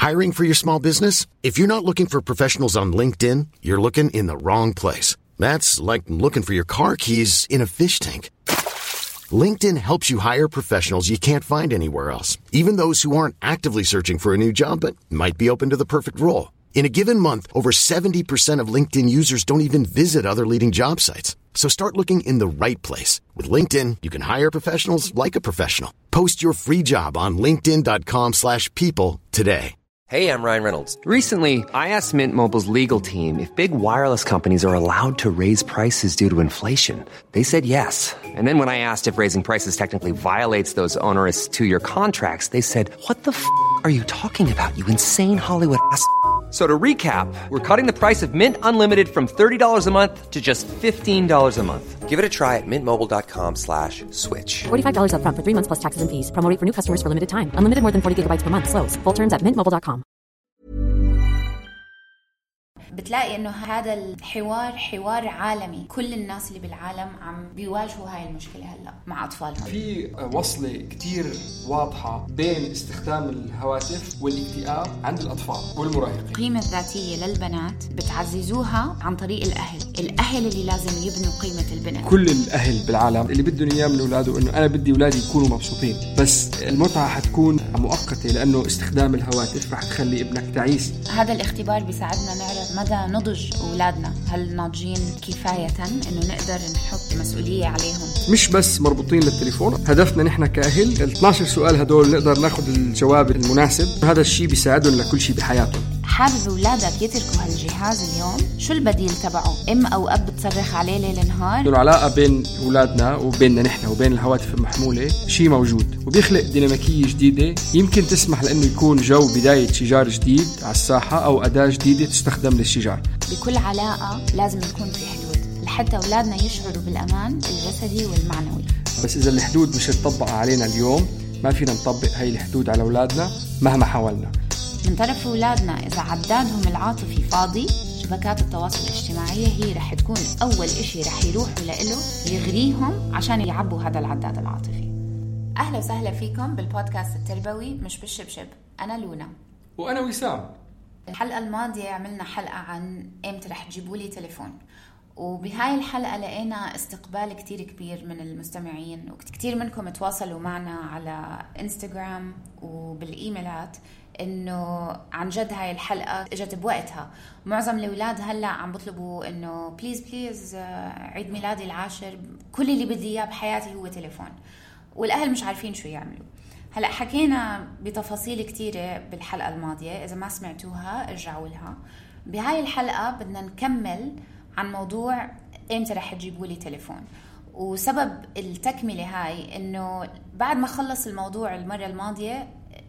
Hiring for your small business? If you're not looking for professionals on LinkedIn, you're looking in the wrong place. That's like looking for your car keys in a fish tank. LinkedIn helps you hire professionals you can't find anywhere else, even those who aren't actively searching for a new job but might be open to the perfect role. In a given month, over 70% of LinkedIn users don't even visit other leading job sites. So start looking in the right place. With LinkedIn, you can hire professionals like a professional. Post your free job on linkedin.com/people today. Hey, I'm Ryan Reynolds. Recently, I asked Mint Mobile's legal team if big wireless companies are allowed to raise prices due to inflation. They said yes. And then when I asked if raising prices technically violates those onerous 2-year contracts, they said, "What the are you talking about, you insane Hollywood ass?" So to recap, we're cutting the price of Mint Unlimited from $30 a month to just $15 a month. Give it a try at mintmobile.com/switch. $45 up front for 3 months plus taxes and fees. Promo rate for new customers for limited time. Unlimited more than 40 gigabytes per month. Slows full terms at mintmobile.com. بتلاقي انه هذا الحوار حوار عالمي. كل الناس اللي بالعالم عم بيواجهوا هاي المشكلة هلا مع اطفالهم. في وصلة كتير واضحة بين استخدام الهواتف والاكتئاب عند الاطفال والمراهقين. القيمة الذاتية للبنات بتعززوها عن طريق الاهل اللي لازم يبنوا قيمة البنت. كل الاهل بالعالم اللي بدهم اياه من اولاده انه انا بدي اولادي يكونوا مبسوطين، بس المتعة حتكون مؤقتة لانه استخدام الهواتف رح تخلي ابنك تعيس. هذا الاختبار بيساعدنا نعرف مدى نضج أولادنا، هل ناضجين كفاية إنه نقدر نحط مسؤولية عليهم. مش بس مربوطين للتليفون، هدفنا نحن كأهل 12 سؤال هدول نقدر ناخد الجواب المناسب. هذا الشيء بيساعدهم لكل شيء بحياتهم. حابب أولادك يتركوا هالجهاز اليوم؟ شو البديل تبعه؟ أم أو أب بتصرخ عليه ليل نهار؟ العلاقة بين أولادنا وبيننا نحن وبين الهواتف المحمولة شيء موجود وبيخلق ديناميكية جديدة يمكن تسمح لأنه يكون جو بداية شجار جديد على الساحة أو أداة جديدة تستخدم للشجار. بكل علاقة لازم يكون في حدود لحتى أولادنا يشعروا بالأمان الجسدي والمعنوي. بس إذا الحدود مش تطبق علينا اليوم ما فينا نطبق هاي الحدود على أولادنا مهما حاولنا. من طرف أولادنا إذا عدادهم العاطفي فاضي، شبكات التواصل الاجتماعي هي رح تكون أول إشي رح يروحوا لإله يغريهم عشان يعبوا هذا العداد العاطفي. أهلا وسهلا فيكم بالبودكاست التربوي مش بالشبشب. أنا لونا وأنا وسام. الحلقة الماضية عملنا حلقة عن إمتى رح تجيبوا لي تليفون، وبهاي الحلقة لقينا استقبال كتير كبير من المستمعين، وكتير منكم تواصلوا معنا على انستغرام وبالإيميلات إنه عن جد هاي الحلقة اجت بوقتها. معظم الأولاد هلأ عم بطلبوا إنه بليز عيد ميلادي العاشر كل اللي بدي إياه بحياتي هو تليفون، والأهل مش عارفين شو يعملوا. هلأ حكينا بتفاصيل كتيرة بالحلقة الماضية، إذا ما سمعتوها ارجعوا لها. بهاي الحلقة بدنا نكمل عن موضوع إمتى رح تجيبوا لي تليفون. وسبب التكملة هاي إنه بعد ما خلص الموضوع المرة الماضية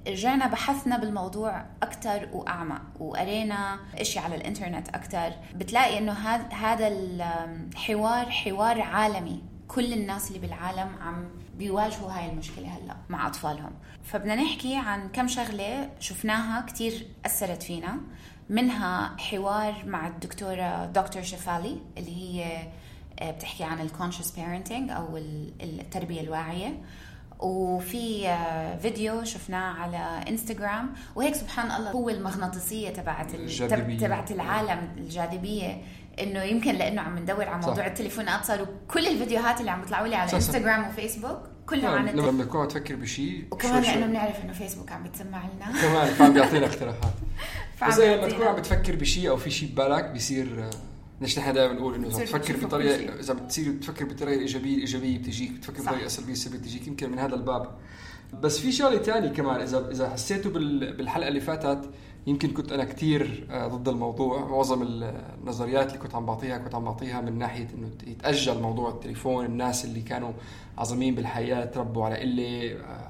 رجعنا بحثنا بالموضوع أكتر وأعمق، وقرينا إشي على الإنترنت أكتر. بتلاقي إنه هذا الحوار حوار عالمي. كل الناس اللي بالعالم عم بيواجهوا هاي المشكلة هلأ مع أطفالهم. فبدنا نحكي عن كم شغلة شفناها كتير أثرت فينا، منها حوار مع الدكتورة دكتور شفالي اللي هي بتحكي عن الكونشس بيرنتينج أو التربية الواعية، وفي فيديو شفناه على انستغرام. وهيك سبحان الله هو المغناطيسية تبعت العالم، الجاذبية، انه يمكن لانه عم ندور على موضوع التليفونات صاروا كل الفيديوهات اللي عم بيطلعوا لي على انستغرام وفيسبوك كلها عن التليفون. لما بنكون تفكر بشيء وكمان لانه بنعرف انه فيسبوك عم بيتسمع لنا كمان عم بيعطينا اقتراحات. بس لما تكون عم بتفكر بشيء او في شيء ببالك بيصير نحن دائما نقول انه اذا بتفكر بطريقه، اذا بتصير بتفكر بطريقه ايجابيه بتجيك، بتفكر بطريقه سلبيه بتجيك. يمكن من هذا الباب. بس في شغله ثانيه كمان اذا حسيتوا بالحلقه اللي فاتت يمكن كنت أنا كتير ضد الموضوع. معظم النظريات اللي كنت عم بعطيها من ناحية إنه يتأجل موضوع التليفون. الناس اللي كانوا عظيمين بالحياة تربوا على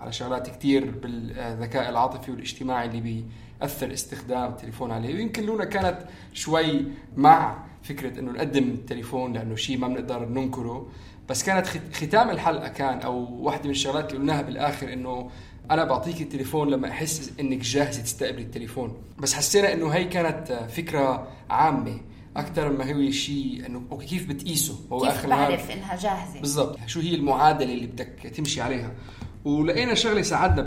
على شغلات كتير بالذكاء العاطفي والاجتماعي اللي بيأثر استخدام التليفون عليه. ويمكن لونا كانت شوي مع فكرة إنه نقدم التليفون لأنه شيء ما بنقدر ننكره. بس كانت ختام الحلقة كان أو واحدة من الشغلات اللي قلناها بالآخر إنه أنا بعطيك التليفون لما أحس إنك جاهزة تستقبل التليفون. بس حسينا إنه هي كانت فكرة عامة أكثر ما هو شيء إنه كيف بتقيسه. كيف بعرف إنها جاهزة بالضبط، شو هي المعادلة اللي بدك تمشي عليها. ولقينا شغله ساعدنا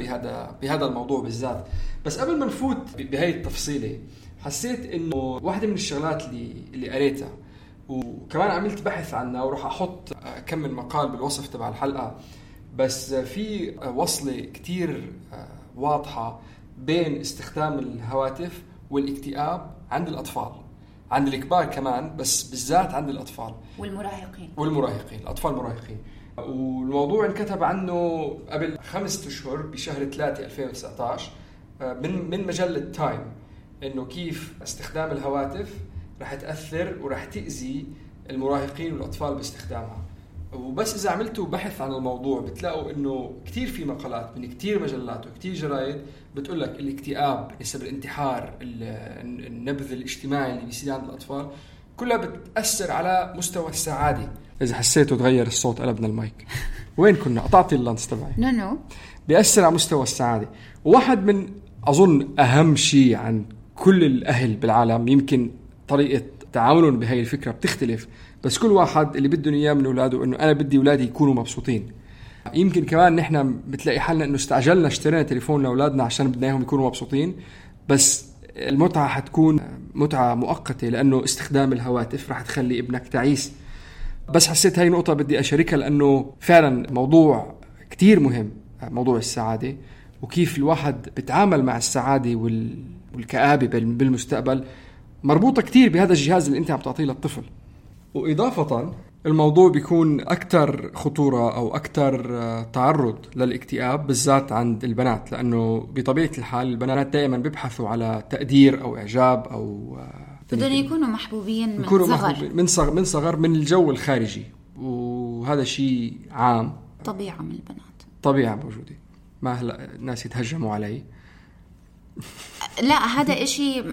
بهذا الموضوع بالذات. بس قبل ما نفوت بهاي التفصيله، حسيت انه واحده من الشغلات اللي قريتها وكمان عملت بحث عنها، وراح احط كم من مقال بالوصف تبع الحلقه، بس في وصله كتير واضحه بين استخدام الهواتف والاكتئاب عند الأطفال، عند الكبار كمان، بس بالذات عند الأطفال والمراهقين الأطفال المراهقين. والموضوع انكتب عنه قبل 5 أشهر بشهر 3 2019 من مجلة تايم، إنه كيف استخدام الهواتف رح تأثر ورح تأذي المراهقين والأطفال باستخدامها. وبس إذا عملتوا بحث عن الموضوع بتلاقوا إنه كتير في مقالات من كتير مجلات وكتير جرايد بتقول لك الاكتئاب، نسب الانتحار، النبذ الاجتماعي اللي بيصير عند الأطفال كلها بتأثر على مستوى السعادة. إذا حسيتوا تغير الصوت قلبنا المايك. وين كنا؟ قطعتي اللانس تبعي. نو بيأثر على مستوى السعادة. وواحد من أظن أهم شيء عن كل الأهل بالعالم، يمكن طريقة تعاملهم بهاي الفكرة بتختلف، بس كل واحد اللي بده إياه من أولاده إنه أنا بدي أولادي يكونوا مبسوطين. يمكن كمان نحن بتلاقي حالنا إنه استعجلنا اشترينا تليفون لأولادنا عشان بدنا إياهم يكونوا مبسوطين، بس المتعة حتكون متعة مؤقتة، لأنه استخدام الهواتف راح تخلي ابنك تعيس. بس حسيت هاي نقطة بدي أشاركها، لأنه فعلا موضوع كتير مهم، موضوع السعادة وكيف الواحد بيتعامل مع السعادة والكآبة بالمستقبل مربوطة كتير بهذا الجهاز اللي أنت عم تعطيه للطفل. وإضافة الموضوع بيكون أكتر خطورة أو أكتر تعرض للاكتئاب بالذات عند البنات، لأنه بطبيعة الحال البنات دائما بيبحثوا على تقدير أو إعجاب أو بدهم يكونوا محبوبين من صغر من الجو الخارجي، وهذا شيء عام، طبيعة من البنات، طبيعة موجودة. ما هلا الناس يتهجموا علي. لا هذا إشي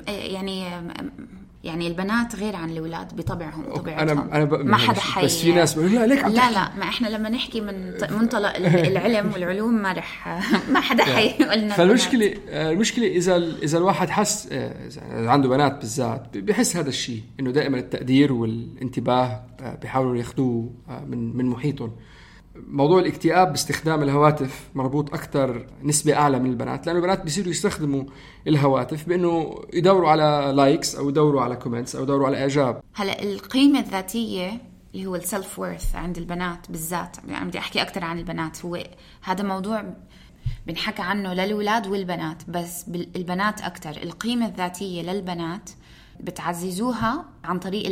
يعني البنات غير عن الأولاد بطبعهم وطبيعتهم. أنا ما حدا حي. بس في ناس بيقولوا لا ليك لا ما إحنا لما نحكي من منطلق العلم والعلوم ما حدا حي يقولنا. فالمشكلة إذا الواحد حس عنده بنات بالذات بيحس هذا الشيء، إنه دائما التقدير والانتباه بيحاولوا ياخدوه من محيطهم. موضوع الاكتئاب باستخدام الهواتف مربوط أكتر نسبة أعلى من البنات، لأنه البنات بيصيروا يستخدموا الهواتف بأنه يدوروا على لايكس أو يدوروا على كومنتس أو يدوروا على إعجاب. هلأ القيمة الذاتية اللي هو السلف وورث عند البنات بالذات، يعني بدي أحكي أكتر عن البنات، هو هذا موضوع بنحكي عنه للأولاد والبنات، بس البنات أكتر. القيمة الذاتية للبنات بتعززوها عن طريق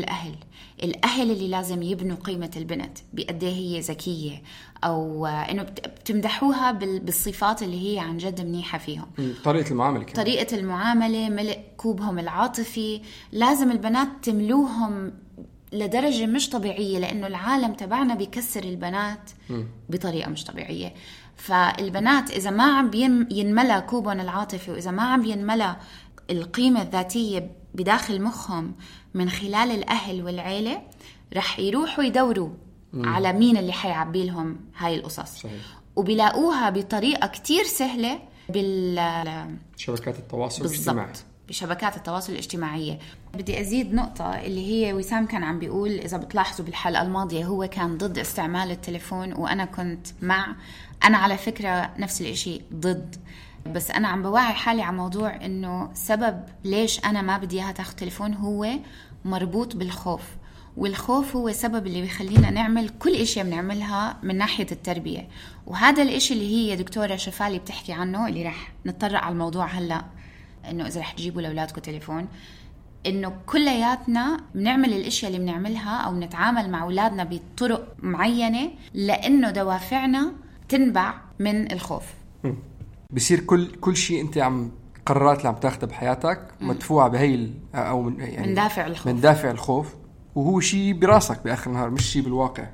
الأهل اللي لازم يبنوا قيمة البنت بقد هي ذكية، أو إنه بتمدحوها بالصفات اللي هي عن جد منيحة فيهم. طريقة المعاملة، ملء كوبهم العاطفي. لازم البنات تملوهم لدرجة مش طبيعية، لأنه العالم تبعنا بيكسر البنات بطريقة مش طبيعية. فالبنات إذا ما عم ينملى كوبهم العاطفي، وإذا ما عم ينملى القيمة الذاتية بداخل مخهم من خلال الأهل والعيلة، رح يروحوا يدوروا على مين اللي حيعبي لهم هاي القصص. صحيح. وبيلاقوها بطريقة كتير سهلة بشبكات التواصل الاجتماعي. بشبكات التواصل الاجتماعية. بدي أزيد نقطة اللي هي وسام كان عم بيقول، إذا بتلاحظوا بالحلقة الماضية هو كان ضد استعمال التليفون وأنا كنت مع. أنا على فكرة نفس الاشي ضد، بس أنا عم بوعي حالي على موضوع إنه سبب ليش أنا ما بدي إياها تاخد تليفون هو مربوط بالخوف، والخوف هو سبب اللي بيخلينا نعمل كل إشي بنعملها من ناحية التربية. وهذا الإشي اللي هي دكتورة شفالي بتحكي عنه، اللي رح نتطرق على الموضوع هلأ، إنه إذا رح تجيبوا لأولادكم تليفون، إنه كلياتنا بنعمل الأشياء اللي بنعملها أو نتعامل مع أولادنا بطرق معينة لأنه دوافعنا تنبع من الخوف. بصير كل شيء انت قرارات اللي عم تاخدها بحياتك مدفوعه بهي او من دافع الخوف، وهو شيء براسك باخر النهار مش شيء بالواقع.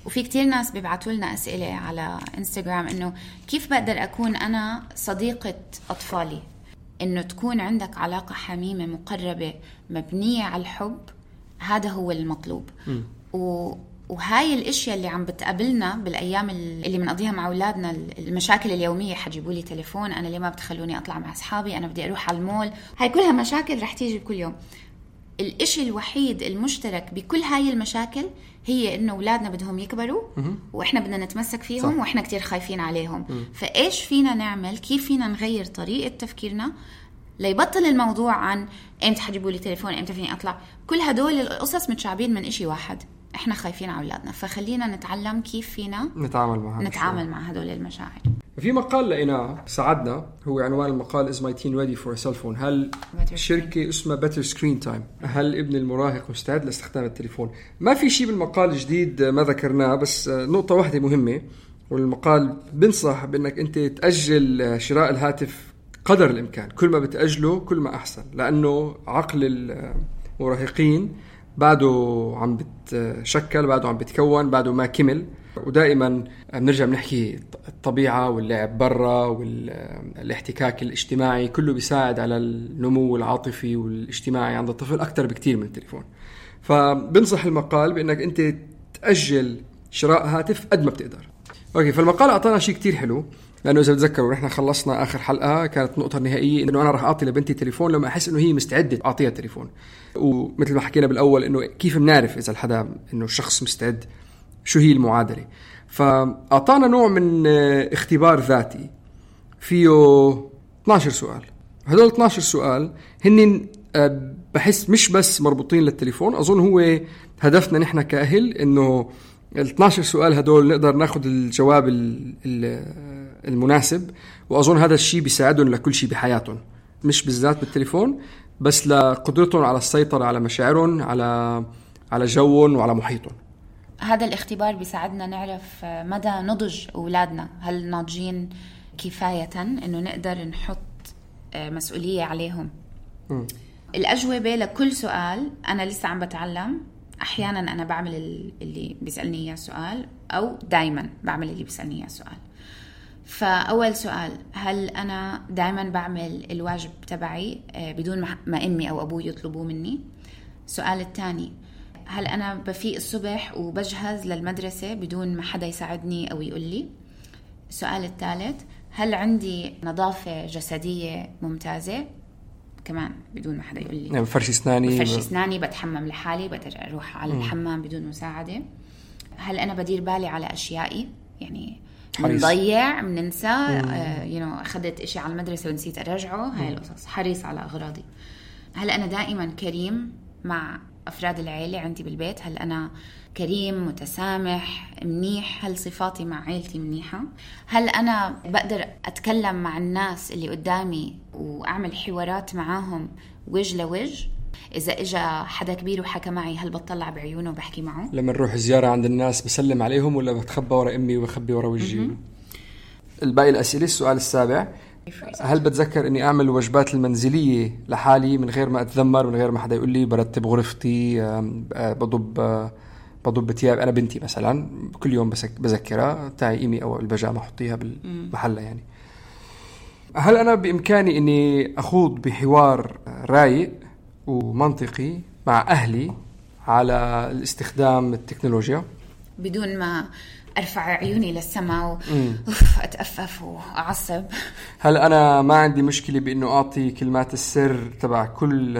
وفي كتير ناس بيبعتوا لنا اسئله على انستغرام انه كيف بقدر اكون انا صديقه اطفالي، انه تكون عندك علاقه حميمه مقربه مبنيه على الحب. هذا هو المطلوب. وهاي الاشياء اللي عم بتقابلنا بالايام اللي بنقضيها مع اولادنا، المشاكل اليوميه، حجيبوا لي تليفون، انا ليه ما بتخلوني اطلع مع اصحابي، انا بدي اروح على المول، هاي كلها مشاكل رح تيجي كل يوم. الإشي الوحيد المشترك بكل هاي المشاكل هي إنه أولادنا بدهم يكبروا وإحنا بدنا نتمسك فيهم. صح. وإحنا كتير خايفين عليهم. فإيش فينا نعمل؟ كيف فينا نغير طريقة تفكيرنا ليبطل الموضوع عن إمتى حجيبوا لي تليفون، إمتى فيني أطلع؟ كل هدول القصص متشعبين من إشي واحد، إحنا خايفين على أولادنا. فخلينا نتعلم كيف فينا نتعامل مع هدول المشاعر. في مقال لقيناه ساعدنا، هو عنوان المقال Is my teen ready for a cell phone؟ هل شركة اسمها Better Screen Time، هل ابن المراهق مستعد لاستخدام التليفون؟ ما في شيء بالمقال جديد ما ذكرناه، بس نقطة واحدة مهمة، والمقال بنصح بأنك أنت تأجل شراء الهاتف قدر الإمكان. كل ما بتأجله كل ما أحسن، لأنه عقل المراهقين بعده عم بتشكل، بعده عم بتكون، بعده ما كمل. ودائما بنرجع بنحكي الطبيعة واللعب برا والاحتكاك الاجتماعي كله بيساعد على النمو العاطفي والاجتماعي عند الطفل أكتر بكتير من التليفون. فبنصح المقال بأنك أنت تأجل شراء هاتف قد ما بتقدر. أوكي، فالمقال أعطانا شيء كتير حلو، لأنه إذا بتذكروا نحن خلصنا آخر حلقة كانت النقطة النهائية إنه أنا راح أعطي لبنتي تليفون لما أحس إنه هي مستعدة أعطيها تليفون. ومثل ما حكينا بالأول إنه كيف بنعرف إذا الحدا إنه الشخص مستعد، شو هي المعادلة. فأعطانا نوع من اختبار ذاتي فيه 12 سؤال. هدول 12 سؤال هن بحس مش بس مربوطين للتليفون، أظن هو هدفنا نحن كأهل إنه ال 12 سؤال هدول نقدر ناخد الجواب المناسب. وأظن هذا الشيء بيساعدهم لكل شيء بحياتهم، مش بالذات بالتليفون، بس لقدرتهم على السيطرة على مشاعرهم، على جوهم وعلى محيطهم. هذا الاختبار بيساعدنا نعرف مدى نضج أولادنا، هل ناضجين كفاية إنه نقدر نحط مسؤولية عليهم. الأجوبة لكل سؤال أنا لسه عم بتعلم. أحيانا أنا بعمل اللي بيسألني إياه سؤال، أو دايما بعمل اللي بيسألني إياه سؤال. فأول سؤال، هل أنا دايما بعمل الواجب تبعي بدون ما أمي أو أبوي يطلبوه مني؟ السؤال الثاني، هل أنا بفيق الصبح وبجهز للمدرسة بدون ما حدا يساعدني أو يقول لي؟ السؤال الثالث، هل عندي نظافة جسدية ممتازة؟ كمان بدون ما حدا يقول لي. يعني بفرش أسناني، بتحمم لحالي، بقدر أروح على الحمام بدون مساعدة. هل أنا بدير بالي على أشيائي؟ يعني منضيع، مننسى، أخذت إشي على المدرسة ونسيت أرجعه، هاي القصص. حريص على أغراضي. هل أنا دائما كريم مع أفراد العائلة عندي بالبيت؟ هل أنا كريم، متسامح، منيح؟ هل صفاتي مع عائلتي منيحة؟ هل أنا بقدر أتكلم مع الناس اللي قدامي وأعمل حوارات معاهم وجه لوجه؟ إذا إجا حدا كبير وحكى معي، هل بطلع بعيونه وبحكي معه؟ لما نروح زيارة عند الناس بسلم عليهم ولا بتخبى ورا أمي وبخبي ورا وجهي؟ الباقي الأسئلة. السؤال السابع، هل بتذكر أني أعمل الوجبات المنزلية لحالي من غير ما أتذمر، من غير ما حدا يقول لي؟ برتب غرفتي، بضب ثياب. أنا بنتي مثلا كل يوم بذكرها تعي إيمي أو البيجامة حطيها بالمحلة. يعني هل أنا بإمكاني أني أخوض بحوار رايق ومنطقي مع أهلي على الاستخدام التكنولوجيا بدون ما أرفع عيوني للسماء أتأفف وأعصب؟ هل أنا ما عندي مشكلة بأنه أعطي كلمات السر تبع كل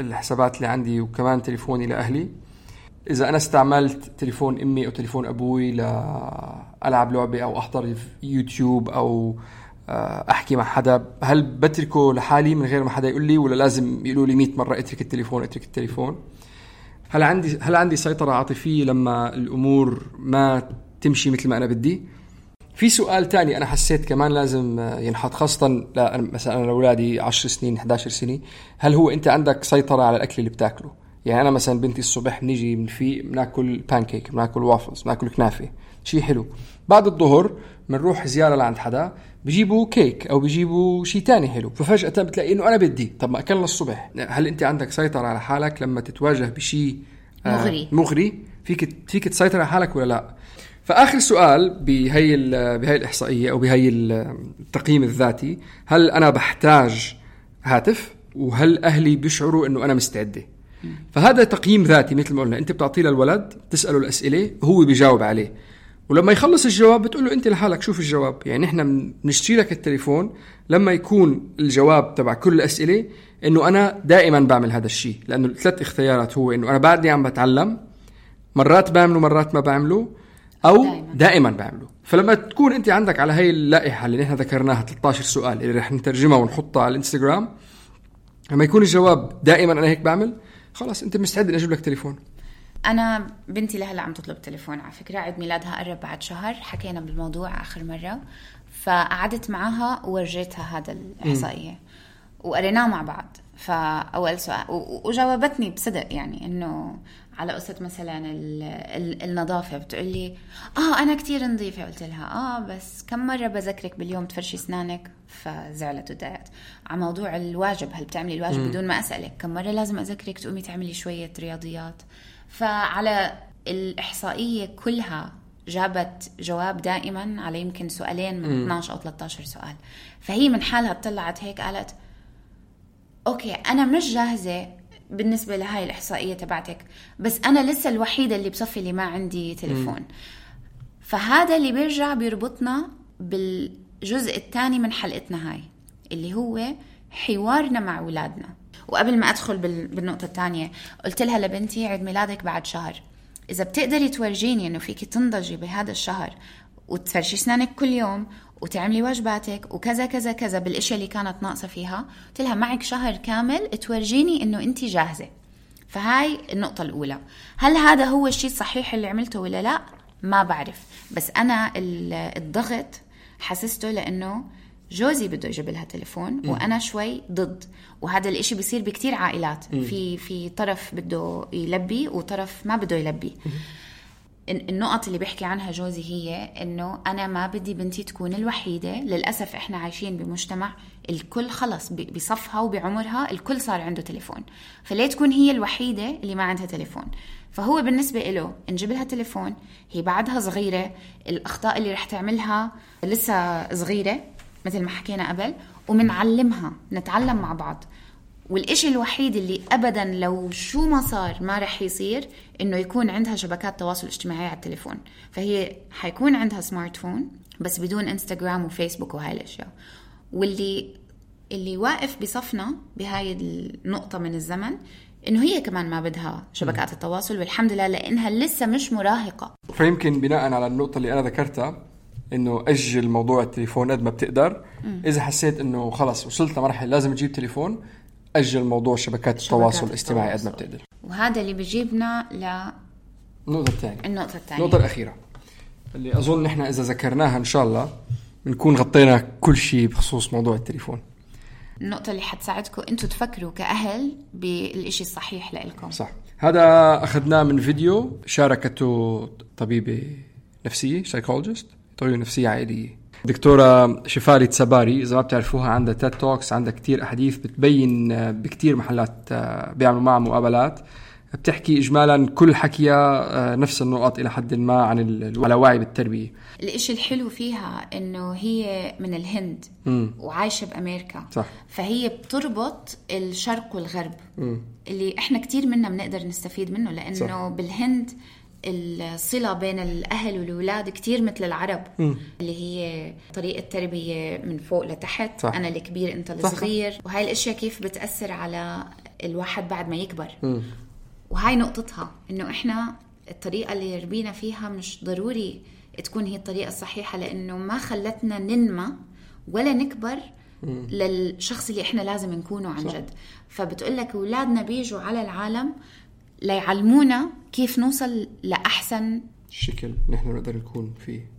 الحسابات اللي عندي وكمان تليفوني لأهلي؟ إذا أنا استعملت تليفون أمي أو تليفون أبوي لألعب لعبة أو أحضر يوتيوب أو أحكي مع حدا، هل بتركه لحالي من غير ما حدا يقول لي، ولا لازم يقولوا لي 100 مرة اترك التليفون؟ هل عندي سيطرة عاطفية لما الأمور ما تمشي مثل ما أنا بدي؟ في سؤال تاني أنا حسيت كمان لازم ينحط، خاصة مثلا أنا لأولادي 10 سنين 11 سنة، هل هو أنت عندك سيطرة على الأكل اللي بتاكله؟ يعني أنا مثلا بنتي الصبح بنيجي بناكل بانكيك، بناكل وافلز، بناكل كنافة، شيء حلو. بعد الظهر بنروح زيارة لعند حدا بيجيبوا كيك أو بيجيبوا شيء تاني حلو، ففجأة بتلاقي إنه أنا بدي، طب ما أكلنا الصبح. هل أنت عندك سيطرة على حالك لما تتواجه بشيء مغري؟ فيك تسيطر على حالك ولا لا؟ فآخر سؤال بهاي الإحصائية أو بهاي التقييم الذاتي، هل أنا بحتاج هاتف؟ وهل أهلي بيشعروا إنه أنا مستعدة؟ فهذا تقييم ذاتي مثل ما قلنا، أنت بتعطيه للولد، تسأله الأسئلة، هو بيجاوب عليه، ولما يخلص الجواب بتقول له انت لحالك شوف الجواب. يعني احنا بنشتري لك التليفون لما يكون الجواب تبع كل الأسئلة انه انا دائما بعمل هذا الشيء، لانه 3 اختيارات هو انه انا بعدني عم بتعلم، مرات بعمله مرات ما بعمله، او دائما بعمله. فلما تكون انت عندك على هاي اللائحة اللي نحن ذكرناها 13 سؤال اللي رح نترجمها ونحطها على الانستغرام، لما يكون الجواب دائما انا هيك بعمل، خلاص انت مستعد ان اجيب لك تليفون. أنا بنتي لهلا عم تطلب تليفون على فكرة، عيد ميلادها قرب بعد شهر، حكينا بالموضوع آخر مرة، فقعدت معها وورجيتها هذا الإحصائية وقريناه مع بعض. فأول سؤال وجاوبتني بصدق، يعني إنه على قصة مثلا النظافة، بتقولي أنا كتير نظيفة. قلت لها بس كم مرة بذكرك باليوم تفرشي أسنانك؟ فزعلت وضايقت. على موضوع الواجب، هل بتعملي الواجب بدون ما أسألك؟ كم مرة لازم أذكرك تقومي تعملي شوية رياضيات؟ فعلى الإحصائية كلها جابت جواب دائما على يمكن سؤالين من 12 أو 13 سؤال. فهي من حالها طلعت هيك قالت أوكي أنا مش جاهزة بالنسبة لهاي الإحصائية تبعتك، بس أنا لسه الوحيدة اللي بصفي اللي ما عندي تليفون. فهذا اللي بيرجع بيربطنا بالجزء الثاني من حلقتنا هاي، اللي هو حوارنا مع أولادنا. وقبل ما أدخل بالنقطة الثانية، قلت لها لبنتي عيد ميلادك بعد شهر، إذا بتقدري تورجيني إنه فيكي تنضجي بهذا الشهر وتفرشي أسنانك كل يوم وتعملي واجباتك وكذا كذا كذا بالأشياء اللي كانت ناقصة فيها، قلت لها معك شهر كامل تورجيني إنه أنتي جاهزة. فهاي النقطة الأولى. هل هذا هو الشيء الصحيح اللي عملته ولا لا؟ ما بعرف، بس أنا الضغط حسسته لأنه جوزي بده يجيب لها تليفون وأنا شوي ضد. وهذا الاشي بيصير بكتير عائلات، في طرف بده يلبي وطرف ما بده يلبي. النقط اللي بيحكي عنها جوزي هي انه انا ما بدي بنتي تكون الوحيدة. للأسف احنا عايشين بمجتمع الكل خلص بصفها وبعمرها الكل صار عنده تليفون، فليه تكون هي الوحيدة اللي ما عندها تليفون؟ فهو بالنسبة له نجيب لها تليفون، هي بعدها صغيرة، الأخطاء اللي رح تعملها لسه صغيرة مثل ما حكينا قبل، ومنعلمها نتعلم مع بعض. والإشي الوحيد اللي أبداً لو شو ما صار ما رح يصير إنه يكون عندها شبكات تواصل اجتماعي على التليفون. فهي حيكون عندها سمارت فون بس بدون إنستغرام وفيسبوك وهاي الأشياء. واللي واقف بصفنا بهاي النقطة من الزمن إنه هي كمان ما بدها شبكات التواصل، والحمد لله لأنها لسه مش مراهقة. فيمكن بناء على النقطة اللي أنا ذكرتها إنه أجل موضوع التليفون قد ما بتقدر. إذا حسيت إنه خلص وصلت لمرحلة لازم تجيب تليفون، أجل موضوع شبكات التواصل الاجتماعي قد ما بتقدر. وهذا اللي بيجيبنا النقطة الثانية، النقطة الأخيرة اللي أظن إحنا إذا ذكرناها إن شاء الله بنكون غطينا كل شيء بخصوص موضوع التليفون. النقطة اللي حتساعدكم أنتوا تفكروا كأهل بالإشي الصحيح لإلكم. صح. هذا أخذناه من فيديو شاركته طبيبة نفسية، سايكولوجيست، طبيبة نفسية عائلية، دكتورة شفاري تساباري. إذا ما بتعرفوها عندها تيد توكس، عندها كتير أحاديث بتبين بكتير محلات بيعملوا معها مقابلات، بتحكي إجمالا كل حكيها نفس النقط إلى حد ما عن على وعي بالتربية. الإشي الحلو فيها إنه هي من الهند وعايشة بأمريكا. صح. فهي بتربط الشرق والغرب اللي إحنا كتير منا بنقدر نستفيد منه، لأنه صح. بالهند الصلة بين الأهل والأولاد كتير مثل العرب اللي هي طريقة تربية من فوق لتحت. صح. أنا الكبير أنت الصغير. صح. وهاي الأشياء كيف بتأثر على الواحد بعد ما يكبر. وهاي نقطتها إنه إحنا الطريقة اللي يربينا فيها مش ضروري تكون هي الطريقة الصحيحة، لأنه ما خلتنا ننمى ولا نكبر للشخص اللي إحنا لازم نكونه عن جد. فبتقولك أولادنا بيجوا على العالم ليعلمونا كيف نوصل لأحسن شكل نحن نقدر نكون فيه.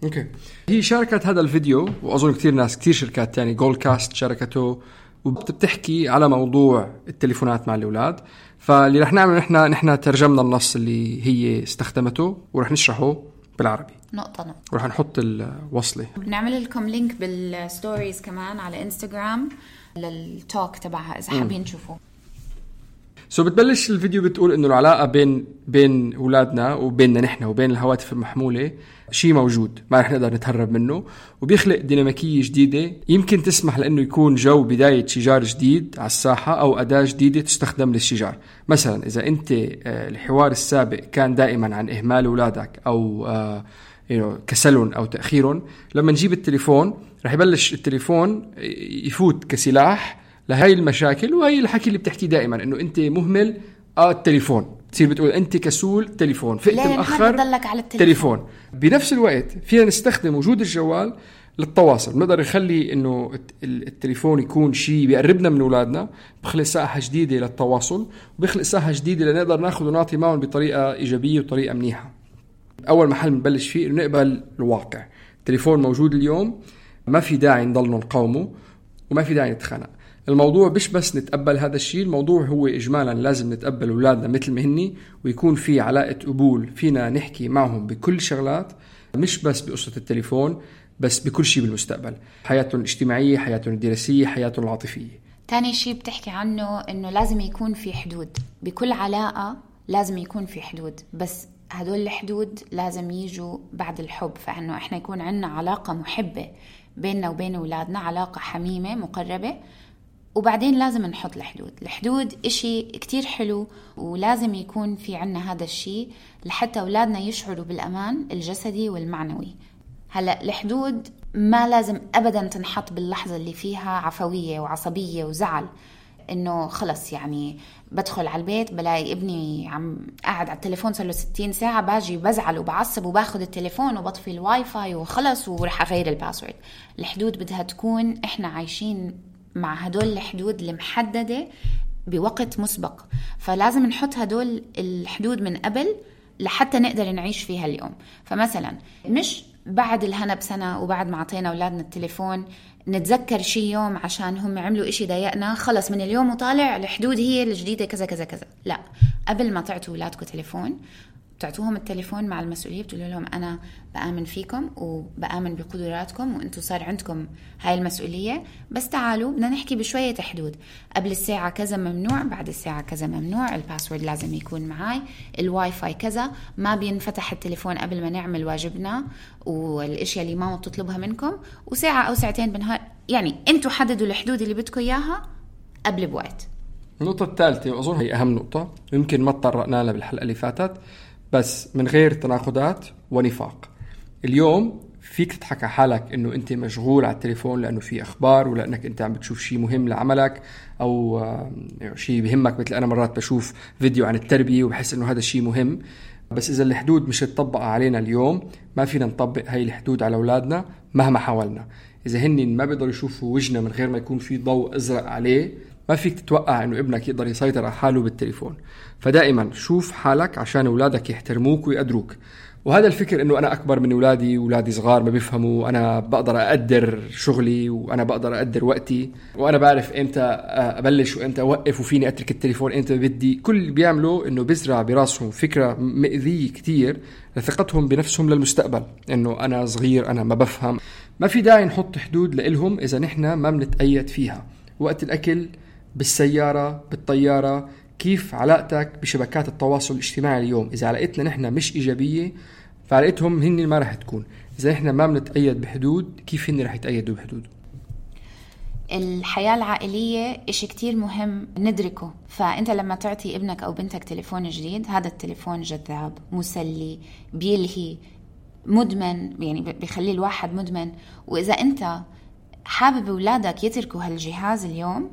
اوكي. هي شاركت هذا الفيديو، وأظن كتير ناس كتير شركات تاني، جولد كاست شاركته، وبتحكي على موضوع التليفونات مع الأولاد. فاللي رح نعمل نحن ترجمنا النص اللي هي استخدمته ورح نشرحه بالعربي نقطة ورح نحط الوصلة. بنعمل لكم لينك بالستوريز كمان على انستغرام للتوك تبعها إذا حابين تشوفوه. بتبلش الفيديو بتقول إنه العلاقة بين أولادنا وبيننا نحن وبين الهواتف المحمولة شيء موجود ما رح نقدر نتهرب منه، وبيخلق ديناميكية جديدة يمكن تسمح لأنه يكون جو بداية شجار جديد على الساحة أو أداة جديدة تستخدم للشجار. مثلا إذا أنت الحوار السابق كان دائما عن إهمال أولادك أو كسلهم أو تأخيرهم، لما نجيب التليفون رح يبلش التليفون يفوت كسلاح لهاي المشاكل وهي الحكي اللي بتحكي دائما إنه أنت مهمل التليفون، تصير بتقول أنت كسول تليفون، فقت مأخر على تليفون. بنفس الوقت فينا نستخدم وجود الجوال للتواصل، نقدر نخلي إنه التليفون يكون شيء بيقربنا من أولادنا، بخلق ساحة جديدة للتواصل وبيخلق ساحة جديدة لنقدر ناخذ ونعطي معهم بطريقة إيجابية وطريقة منيحة. أول محل نبلش فيه إنه نقبل الواقع، التليفون موجود اليوم، ما في داعي نضل نقاومه وما في داعي نتخانق. الموضوع مش بس نتقبل هذا الشيء، الموضوع هو إجمالا لازم نتقبل أولادنا مثل ما هني، ويكون في علاقة قبول فينا نحكي معهم بكل شغلات، مش بس بقصة التليفون، بس بكل شيء بالمستقبل، حياتهم الاجتماعية، حياتهم الدراسية، حياتهم العاطفية. تاني شيء بتحكي عنه إنه لازم يكون في حدود بكل علاقة، لازم يكون في حدود، بس هدول الحدود لازم يجوا بعد الحب. فإنه إحنا يكون عنا علاقة محبة بيننا وبين أولادنا، علاقة حميمة مقربة، وبعدين لازم نحط الحدود إشي كتير حلو، ولازم يكون في عنا هذا الشيء لحتى أولادنا يشعروا بالأمان الجسدي والمعنوي. هلأ الحدود ما لازم أبدا تنحط باللحظة اللي فيها عفوية وعصبية وزعل، إنه خلص يعني بدخل على البيت بلاقي ابني عم قاعد على التليفون صار له 60 ساعة، باجي بزعل وبعصب وباخد التليفون وبطفي الواي فاي وخلص ورح أغير الباسورد. الحدود بدها تكون إحنا عايشين مع هدول الحدود المحددة بوقت مسبق، فلازم نحط هدول الحدود من قبل لحتى نقدر نعيش فيها اليوم. فمثلا مش بعد الهنا بسنة وبعد ما عطينا أولادنا التليفون نتذكر شي يوم عشان هم عملوا إشي ضايقنا خلص من اليوم وطالع الحدود هي الجديدة كذا كذا كذا. لا، قبل ما تعطوا أولادكم تليفون بتعطوهم التليفون مع المسؤولية، بتقولوا لهم أنا بآمن فيكم وبآمن بقدراتكم وأنتوا صار عندكم هاي المسؤولية، بس تعالوا بدنا نحكي بشوية حدود. قبل الساعة كذا ممنوع، بعد الساعة كذا ممنوع، الباسورد لازم يكون معاي، الواي فاي كذا، ما بينفتح التليفون قبل ما نعمل واجبنا والاشياء اللي ماما بتطلبها منكم، وساعة أو ساعتين بالنهار. يعني أنتوا حددوا الحدود اللي بدكم إياها قبل بوقت. النقطة الثالثة وأظن هي أهم نقطة يمكن ما تطرقنا لها بالحلقة اللي فاتت، بس من غير تناقضات ونفاق. اليوم فيك تضحك على حالك انه انت مشغول على التليفون لانه في اخبار، ولا انك انت عم بتشوف شيء مهم لعملك او شيء بيهمك. مثل انا مرات بشوف فيديو عن التربية وبحس انه هذا الشيء مهم، بس اذا الحدود مش تطبق علينا اليوم ما فينا نطبق هاي الحدود على اولادنا مهما حاولنا. اذا هن ما بيقدروا يشوفوا وجهنا من غير ما يكون في ضوء ازرق عليه، ما فيك تتوقع انه ابنك يقدر يسيطر على حاله بالتليفون. فدائما شوف حالك عشان اولادك يحترموك ويقدروك. وهذا الفكر انه انا اكبر من اولادي صغار ما بيفهموا، انا بقدر اقدر شغلي وانا بقدر اقدر وقتي وانا بعرف امتى ابلش وامتى اوقف وفيني اترك التليفون امتى بدي، كل اللي بيعملوا انه بزرع براسهم فكرة مؤذية كتير لثقتهم بنفسهم للمستقبل، انه انا صغير انا ما بفهم. ما في داعي نحط حدود لإلهم اذا نحن ما بنتأيد فيها. وقت الاكل، بالسيارة، بالطيارة، كيف علاقتك بشبكات التواصل الاجتماعي اليوم. إذا علاقتنا نحن مش إيجابية فعلاقتهم هن ما رح تكون. إذا نحن ما بنتأيد بحدود كيف هن رح يتأيدوا بحدود؟ الحياة العائلية إشي كتير مهم ندركه. فأنت لما تعطي ابنك أو بنتك تليفون جديد، هذا التليفون جذاب، مسلي، بيلهي، مدمن، يعني بيخلي الواحد مدمن. وإذا أنت حابب أولادك يتركوا هالجهاز اليوم،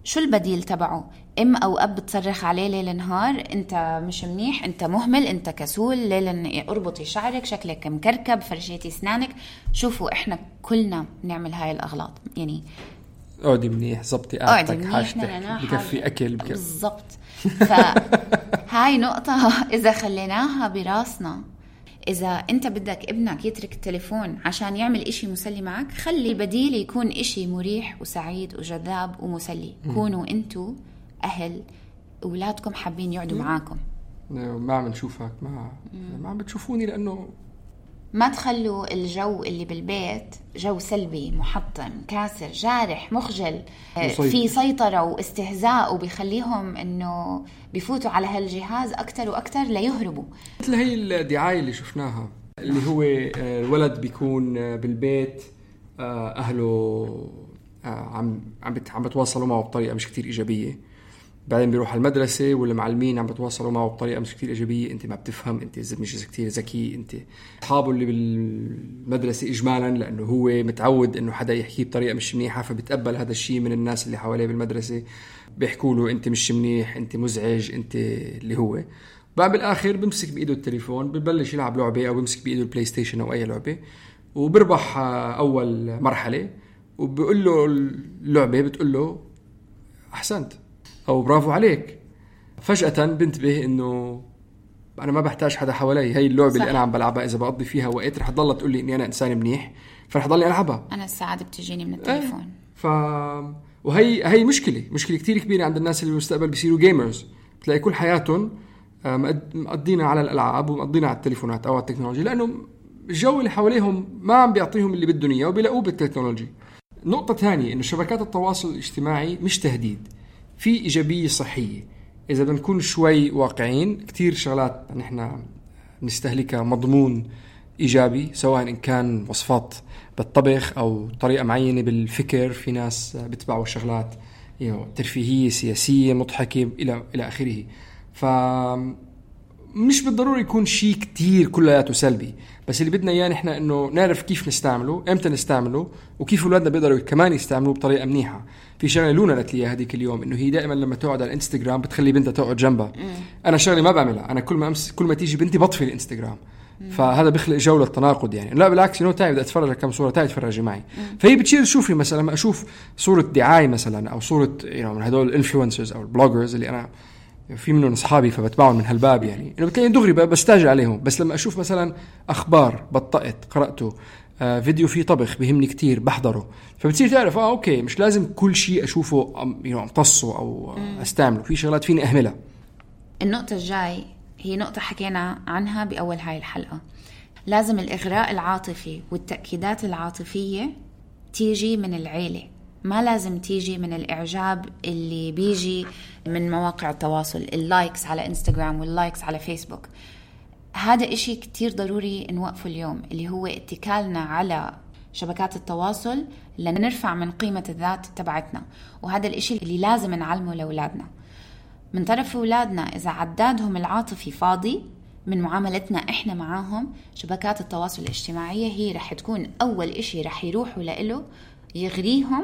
شو البديل تبعه؟ ام او اب بتصرخ عليه ليل نهار انت مش منيح، انت مهمل، انت كسول، ليل اربطي شعرك، شكلك مكركب، فرشيتي اسنانك. شوفوا احنا كلنا بنعمل هاي الاغلاط. يعني اقعدي منيح، زبطي قعدتك، حاجتك، بكفي اكل بالضبط. فهاي نقطة اذا خليناها براسنا، إذا أنت بدك ابنك يترك التليفون عشان يعمل إشي مسلي معك، خلي البديل يكون إشي مريح وسعيد وجذاب ومسلي. كونوا أنتوا أهل أولادكم حابين يقعدوا معاكم. ما عم نشوفك، ما عم بتشوفوني لأنه ما تخلوا الجو اللي بالبيت جو سلبي محطم كاسر جارح مخجل في سيطرة واستهزاء، وبيخليهم انه بيفوتوا على هالجهاز اكتر واكتر ليهربوا. مثل هي الدعاية اللي شفناها اللي هو الولد بيكون بالبيت اهله عم بتواصلوا معه بطريقة مش كتير ايجابية، بعدين بيروح على المدرسة والمعلمين عم بتواصلوا معه بطريقة مش كتير إيجابية، أنت ما بتفهم، أنت مش كتير ذكي، أنت أصحابه اللي بالمدرسة إجمالا لأنه هو متعود إنه حدا يحكيه بطريقة مش منيحة فبتقبل هذا الشيء من الناس اللي حواليه بالمدرسة، بيحكوا له أنت مش منيح، أنت مزعج، أنت اللي هو. بعد بالآخر بمسك بإيده التليفون، ببلش يلعب لعبة أو بمسك بإيده البلاي ستيشن أو أي لعبة، وبربح أول مرحلة، وبقول له اللعبة بتقول له أحسنت أو برافو عليك. فجأة بنتبه إنه أنا ما بحتاج حدا حوالي، هاي اللعبة اللي أنا عم بلعبها إذا بقضي فيها وقت رح تضل تقول لي إني أنا إنسان منيح، فرح ضلني ألعبها. أنا السعادة بتجيني من التليفون. وهي مشكلة كتير كبيرة عند الناس اللي بالمستقبل بيصيروا جيمرز، بتلاقي كل حياتهم مقضينا على الألعاب ومقضينا على التليفونات أو على التكنولوجيا، لأنه الجو اللي حواليهم ما عم بيعطيهم اللي بالدنيا إياه وبيلاقوه بالتكنولوجيا. نقطة ثانية إنه شبكات التواصل الاجتماعي مش تهديد، في إيجابية صحية إذا بنكون شوي واقعين. كتير شغلات نحن نستهلكها مضمون إيجابي، سواء إن كان وصفات بالطبخ أو طريقة معينة بالفكر، في ناس بتبعوا شغلات ترفيهية سياسية مضحكة إلى آخره. فمش بالضروري يكون شيء كتير كلياته سلبي، بس اللي بدنا إياه نحن إنه نعرف كيف نستعمله، إمتى نستعمله، وكيف أولادنا بيقدروا كمان يستعملوه بطريقة منيحة. في شغلة لونا قالت لي هذيك اليوم إنه هي دائما لما تقعد على الانستغرام بتخلي بنتها تقعد جنبها. أنا شغلة ما بعملها، أنا كل ما تيجي بنتي بطفي الانستغرام. فهذا بيخلق جو للتناقض يعني. لا بالعكس، إنه تعي بدي أتفرج على كم صورة، تعي تفرجي معي. فهي بتشير تشوفي مثلا لما أشوف صورة دعاية مثلا أو صورة من هدول الانفلونسرز أو البلوجرز اللي أنا في منهم أصحابي فبتبعهم من هالباب يعني، إنه بتلاقي دغري بستاجر عليهم. بس لما أشوف مثلا أخبار بطقت قرأته، فيديو فيه طبخ بيهمني كتير بحضره، فبتصير تعرف أوكي مش لازم كل شيء أشوفه أمتصه أو أستعمله، في شغلات فيني أهملها. النقطة الجاي هي نقطة حكينا عنها بأول هاي الحلقة، لازم الإغراء العاطفي والتأكيدات العاطفية تيجي من العيلة، ما لازم تيجي من الإعجاب اللي بيجي من مواقع التواصل، اللايكس على إنستغرام واللايكس على فيسبوك. هذا إشي كتير ضروري نوقفه اليوم، اللي هو اتكالنا على شبكات التواصل لنرفع من قيمة الذات تبعتنا، وهذا الإشي اللي لازم نعلمه لأولادنا من طرف أولادنا. إذا عدادهم العاطفي فاضي من معاملتنا إحنا معاهم، شبكات التواصل الاجتماعية هي رح تكون أول إشي رح يروحوا لإله يغريهم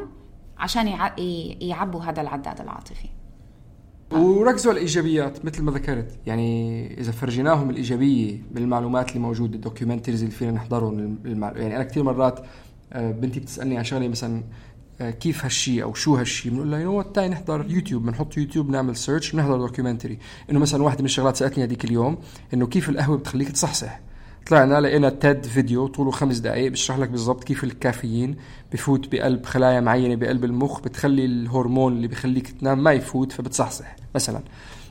عشان يعبوا هذا العداد العاطفي. وركزوا على الإيجابيات مثل ما ذكرت، يعني إذا فرجيناهم الإيجابية بالمعلومات اللي موجودة، الدوكيومنتريز اللي فينا نحضرهم، يعني أنا كتير مرات بنتي بتسألني عن شغلة مثلا كيف هالشي أو شو هالشي، بنقول لها تاي نحضر يوتيوب، بنحط يوتيوب نعمل سيرش نحضر دوكيومنتري. إنه مثلا واحدة من الشغلات سألتني هذيك اليوم إنه كيف القهوة بتخليك تصحصح، طلعنا لقينا تيد فيديو طوله 5 دقائق بيشرح لك بالضبط كيف الكافيين بفوت بقلب خلايا معينة بقلب المخ، بتخلي الهرمون اللي بيخليك تنام ما يفوت فبتصحصح مثلا.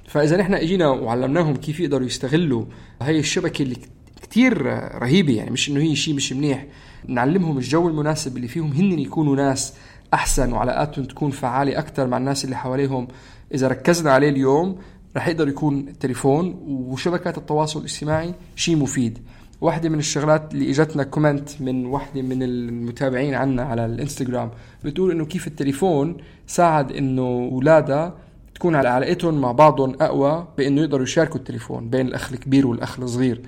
فإذا نحن اجينا وعلمناهم كيف يقدروا يستغلوا هاي الشبكة اللي كتير رهيبة، يعني مش إنه هي شيء مش منيح، نعلمهم الجو المناسب اللي فيهم هن يكونوا ناس أحسن وعلاقاتهم تكون فعالة أكتر مع الناس اللي حواليهم. إذا ركزنا عليه اليوم رح يقدر يكون التليفون وشبكات التواصل الاجتماعي شيء مفيد. واحدة من الشغلات اللي اجتنا كومنت من واحدة من المتابعين عنا على الانستغرام بتقول إنه كيف التليفون ساعد إنه أولادها تكون على علاقتهم مع بعضهم أقوى، بإنه يقدروا يشاركوا التليفون بين الأخ الكبير والأخ الصغير.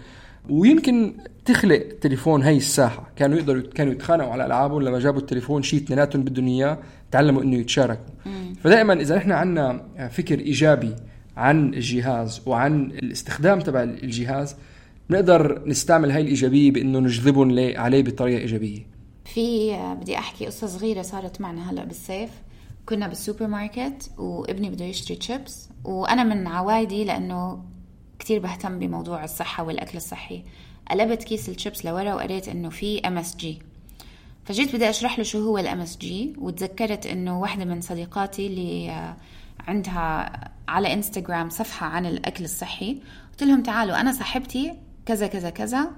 ويمكن تخلق التليفون هاي الساحة، كانوا يتخانقوا على ألعابهم، لما جابوا التليفون شيء اثنيناتهم بدهم إياه تعلموا إنه يتشاركوا. فدائما إذا نحن عنا فكر إيجابي عن الجهاز وعن الاستخدام تبع الجهاز، نقدر نستعمل هاي الإيجابية بإنه نجذبهم عليه بطريقة إيجابية. بدي أحكي قصة صغيرة صارت معنا هلأ بالصيف. كنا بالسوبر ماركت وابني بده يشتري تشيبس، وأنا من عوايدي لأنه كتير بهتم بموضوع الصحة والأكل الصحي، قلبت كيس الشيبس لورا وقريت إنه في MSG. فجيت بدي أشرح له شو هو MSG، وتذكرت إنه واحدة من صديقاتي اللي عندها على إنستغرام صفحة عن الأكل الصحي، قلت لهم تعالوا أنا صاحبتي كذا كذا كذا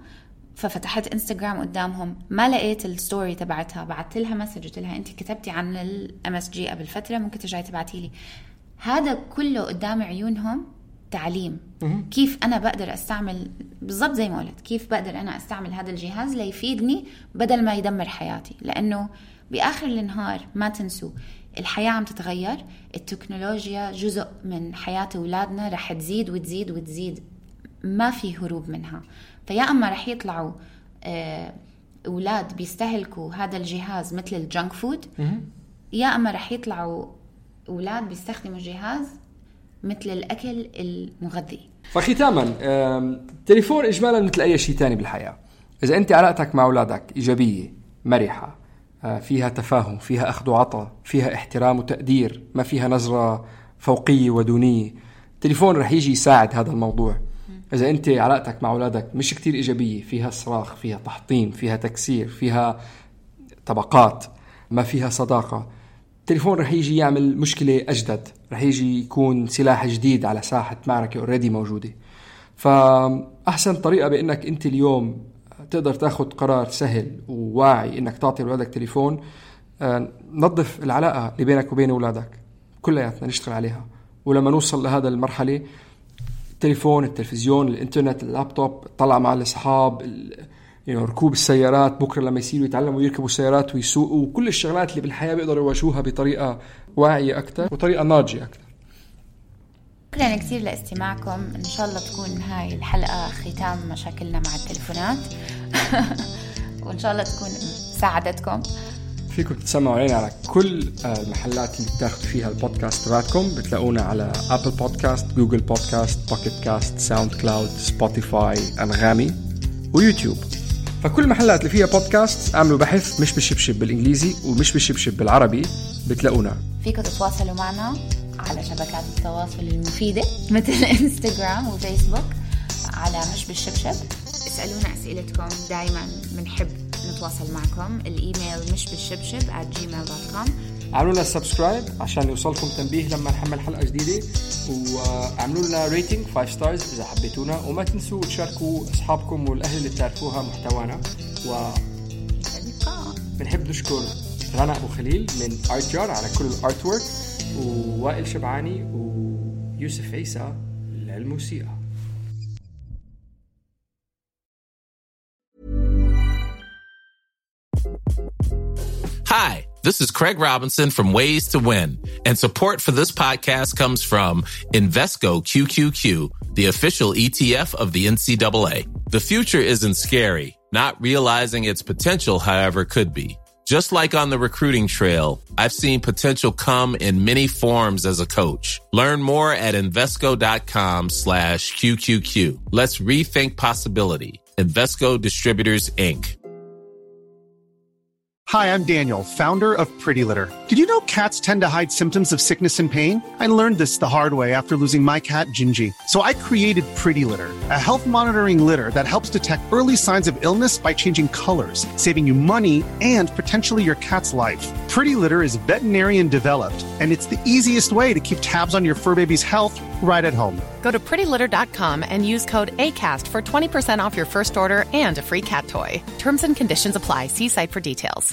ففتحت انستغرام قدامهم، ما لقيت الستوري تبعتها، بعت لها مسج قلت لها انت كتبتي عن الMSG قبل فترة، ممكن ترجعي تبعتي لي. هذا كله قدام عيونهم تعليم. كيف أنا بقدر أستعمل بالضبط زي ما قلت، كيف بقدر أنا أستعمل هذا الجهاز ليفيدني بدل ما يدمر حياتي. لأنه بآخر النهار ما تنسوا الحياة عم تتغير، التكنولوجيا جزء من حياة أولادنا رح تزيد وتزيد وتزيد، ما في هروب منها. فيا أما رح يطلعوا أولاد بيستهلكوا هذا الجهاز مثل الجنك فود، يا أما رح يطلعوا أولاد بيستخدموا الجهاز مثل الأكل المغذي. فختاما التليفون إجمالا مثل أي شيء تاني بالحياة، إذا أنت علاقتك مع أولادك إيجابية مرحة، فيها تفاهم، فيها أخذ وعطاء، فيها احترام وتقدير، ما فيها نظرة فوقية ودونية، التليفون رح يجي يساعد هذا الموضوع. إذا أنت علاقتك مع أولادك مش كتير إيجابية، فيها صراخ، فيها تحطيم، فيها تكسير، فيها طبقات، ما فيها صداقة، التليفون رح يجي يعمل مشكلة أجدد، رح يجي يكون سلاح جديد على ساحة معركة أوريدي موجودة. فأحسن طريقة بأنك أنت اليوم تقدر تاخد قرار سهل وواعي إنك تعطي أولادك تليفون، نظف العلاقة اللي بينك وبين أولادك كلياتنا، نشتغل عليها. ولما نوصل لهذا المرحلة، التليفون، التلفزيون، الإنترنت، اللابتوب، طلع مع الأصحاب، ركوب السيارات، بكرة لما يصيروا يتعلموا يركبوا السيارات ويسوقوا، وكل الشغلات اللي بالحياة بيقدروا يواجهوها بطريقة واعية أكتر وطريقة ناضجة أكتر. شكرا كثير لاستماعكم. إن شاء الله تكون هاي الحلقة ختام مشاكلنا مع التليفونات وإن شاء الله تكون ساعدتكم. فيكم تسمعوا علينا على كل المحلات اللي بتاخدوا فيها البودكاست تبعكم، بتلاقونا على أبل بودكاست، جوجل بودكاست، بوكيت كاست، ساوند كلاود، سبوتيفاي، أنغامي ويوتيوب. فكل المحلات اللي فيها بودكاست اعملوا بحث مش بالشبشب بالإنجليزي ومش بالشبشب بالعربي، بتلاقونا. فيكم تتواصلوا معنا على شبكات التواصل المفيدة مثل انستغرام وفيسبوك على مش بالشبشب. اسألونا أسئلتكم، دايما بنحب نتواصل معكم. الإيميل مش بالشبشب @gmail.com. عملوا لنا سبسكرايب عشان يوصلكم تنبيه لما نحمل حلقة جديدة، وعملوا لنا ريتنج 5 ستارز إذا حبيتونا، وما تنسوا تشاركوا أصحابكم والأهل اللي تعرفوها محتوانا. بنحب نشكر رنا أبو خليل من ArtJar على كل الارت وورك، ووائل شبعاني ويوسف عيسى للموسيقى. Hi, this is Craig Robinson from Ways to Win, and support for this podcast comes from Invesco QQQ, the official ETF of the NCAA. The future isn't scary. Not realizing its potential, however, could be. Just like on the recruiting trail, I've seen potential come in many forms as a coach. Learn more at Invesco.com/QQQ. Let's rethink possibility. Invesco Distributors, Inc. Hi, I'm Daniel, founder of Pretty Litter. Did you know cats tend to hide symptoms of sickness and pain? I learned this the hard way after losing my cat, Gingy. So I created Pretty Litter, a health monitoring litter that helps detect early signs of illness by changing colors, saving you money and potentially your cat's life. Pretty Litter is veterinarian developed, and it's the easiest way to keep tabs on your fur baby's health right at home. Go to prettylitter.com and use code ACAST for 20% off your first order and a free cat toy. Terms and conditions apply. See site for details.